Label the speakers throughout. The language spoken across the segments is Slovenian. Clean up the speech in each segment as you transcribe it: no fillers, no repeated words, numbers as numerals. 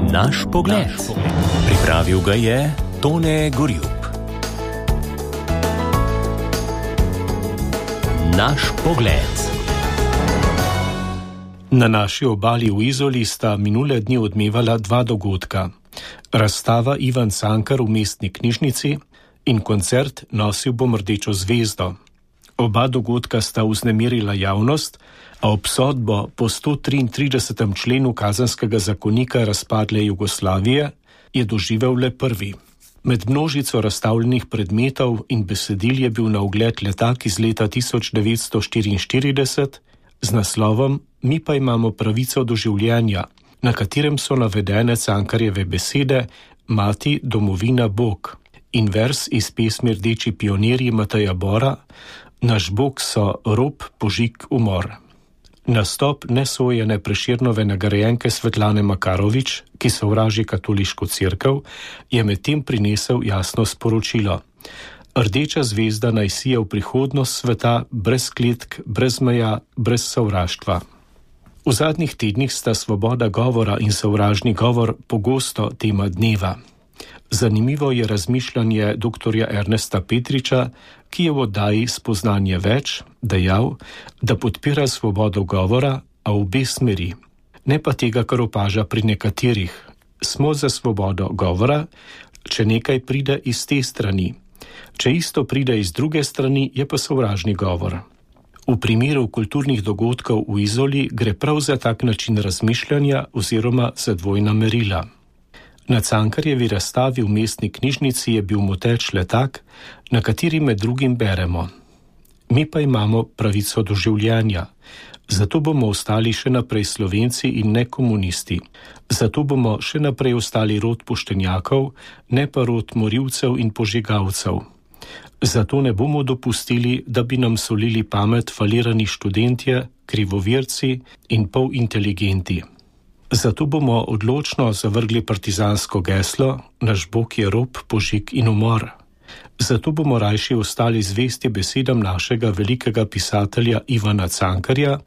Speaker 1: Naš pogled. Pripravil ga je Tone Gorjup. Naš pogled.
Speaker 2: Na naši obali v Izoli sta minule dni odmevala dva dogodka. Razstava Ivan Cankar v mestni knjižnici in koncert Nosil bom rdečo zvezdo. Oba dogodka sta vznemirila javnost, a obsodbo po 133. členu Kazenskega zakonika razpadle Jugoslavije je doživel le prvi. Med množico razstavljenih predmetov in besedil je bil na ogled letak iz leta 1944 z naslovom Mi pa imamo pravico do življenja, na katerem so navedene Cankarjeve besede Mati, domovina, Bog in vers iz pesmi Rdeči pionirji Mateja Bora Naš Bog so rob, požig, umor. Nastop nesojene Prešernove nagrajenke Svetlane Makarovič, ki sovraži katoliško cerkev, je medtem prinesel jasno sporočilo. Rdeča zvezda naj sije v prihodnost sveta, brez kletk, brez meja, brez sovraštva. V zadnjih tednih sta svoboda govora in sovražni govor pogosto tema dneva. Zanimivo je razmišljanje dr. Ernesta Petriča, ki je v oddaji Spoznanje več dejal, da podpira svobodo govora, a v obe smeri. Ne pa tega, kar opaža pri nekaterih. Smo za svobodo govora, če nekaj pride iz te strani. Če isto pride iz druge strani, je pa sovražni govor. V primeru kulturnih dogodkov v Izoli gre prav za tak način razmišljanja oziroma za dvojna merila. Na Cankarjevi razstavi v mestni knjižnici je bil moteč letak, na kateri med drugim beremo. Mi pa imamo pravico do življenja, zato bomo ostali še naprej Slovenci in ne komunisti. Zato bomo še naprej ostali rod poštenjakov, ne pa rod morilcev in požigalcev. Zato ne bomo dopustili, da bi nam solili pamet falirani študentje, krivovirci in polinteligenti. Zato bomo odločno zavrgli partizansko geslo Naš Bog je rob, požig in umor. Zato bomo rajši ostali zvesti besedam našega velikega pisatelja Ivana Cankarja,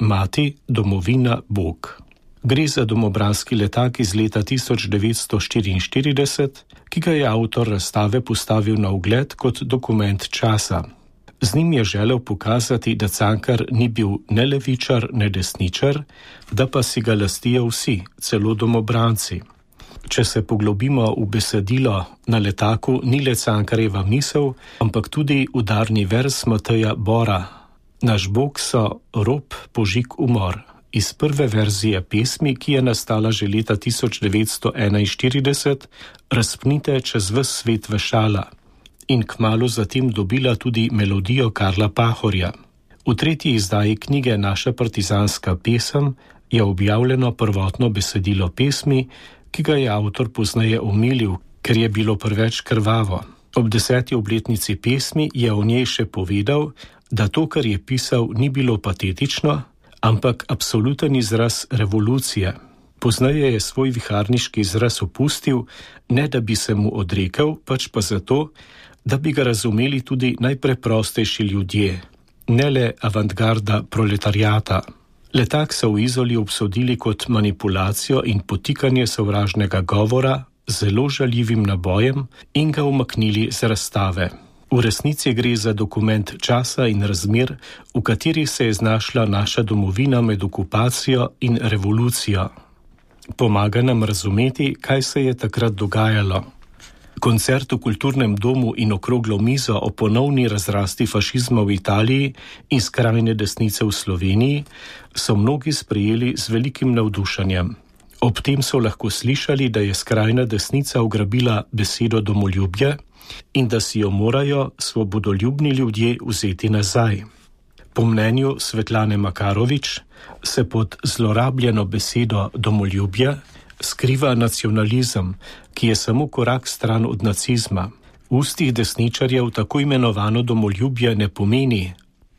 Speaker 2: Mati, domovina, Bog. Gre za domobranski letak iz leta 1944, ki ga je avtor razstave postavil na ogled kot dokument časa. Z njim je želel pokazati, da Cankar ni bil ne levičar, ne desničar, da pa si ga lastijo vsi, celo domobranci. Če se poglobimo v besedilo, na letaku ni le Cankarjeva misel, ampak tudi udarni vers Mateja Bora. Naš Bog so rob, požig, umor. Iz prve verzije pesmi, ki je nastala že leta 1941, razpnite čez ves svet vešala. In kmalu zatem dobila tudi melodijo Karla Pahorja. V tretji izdaji knjige Naša partizanska pesem je objavljeno prvotno besedilo pesmi, ki ga je avtor pozneje omilil, ker je bilo preveč krvavo. Ob 10. obletnici pesmi je o njej še povedal, da to, kar je pisal, ni bilo patetično, ampak absoluten izraz revolucije. Pozneje je svoj viharniški izraz opustil, ne da bi se mu odrekel, pač pa zato, da bi ga razumeli tudi najpreprostejši ljudje, ne le avantgarda proletariata. Letak so v Izoli obsodili kot manipulacijo in potikanje sovražnega govora z zelo žaljivim nabojem in ga umaknili z razstave. V resnici gre za dokument časa in razmer, v katerih se je znašla naša domovina med okupacijo in revolucijo. Pomaga nam razumeti, kaj se je takrat dogajalo. Koncert v kulturnem domu in okroglo mizo o ponovni razrasti fašizma v Italiji in skrajne desnice v Sloveniji so mnogi sprejeli z velikim navdušenjem. Ob tem so lahko slišali, da je skrajna desnica ugrabila besedo domoljubje in da si jo morajo svobodoljubni ljudje vzeti nazaj. Po mnenju Svetlane Makarovič se pod zlorabljeno besedo domoljubje skriva nacionalizem, ki je samo korak stran od nacizma. V ustih desničarjev tako imenovano domoljubje ne pomeni,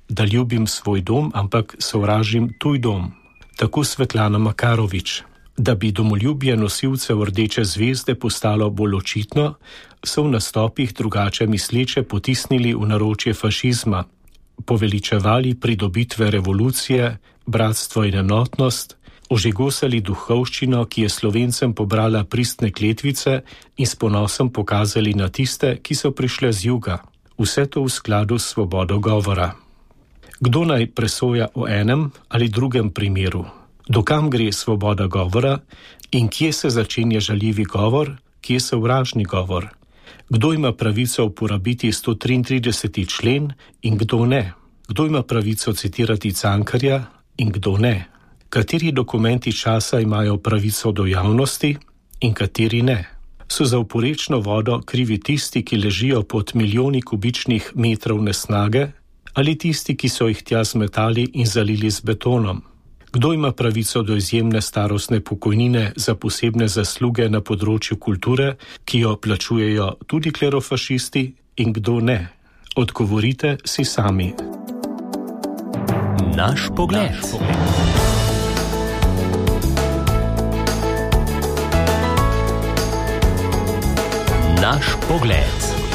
Speaker 2: da ljubim svoj dom, ampak sovražim tuj dom. Tako Svetlana Makarovič. Da bi domoljubje nosilcev Rdeče zvezde postalo bolj očitno, so v nastopih drugače misleče potisnili v naročje fašizma, poveličevali pridobitve revolucije, bratstvo in enotnost ožigosali duhovščino, ki je Slovencem pobrala pristne kletvice in s ponosom pokazali na tiste, ki so prišle z juga. Vse to v skladu s svobodo govora. Kdo naj presoja o enem ali drugem primeru? Dokam gre svoboda govora in kje se začenja žaljivi govor, kje sovražni govor? Kdo ima pravico uporabiti 133. člen in kdo ne? Kdo ima pravico citirati Cankarja in kdo ne? Kateri dokumenti časa imajo pravico do javnosti in kateri ne? So za oporečno vodo krivi tisti, ki ležijo pod milijoni kubičnih metrov nesnage, ali tisti, ki so jih tja zmetali in zalili z betonom? Kdo ima pravico do izjemne starostne pokojnine za posebne zasluge na področju kulture, ki jo plačujejo tudi klerofašisti, in kdo ne? Odgovorite si sami.
Speaker 1: Naš pogled. Naš pogled.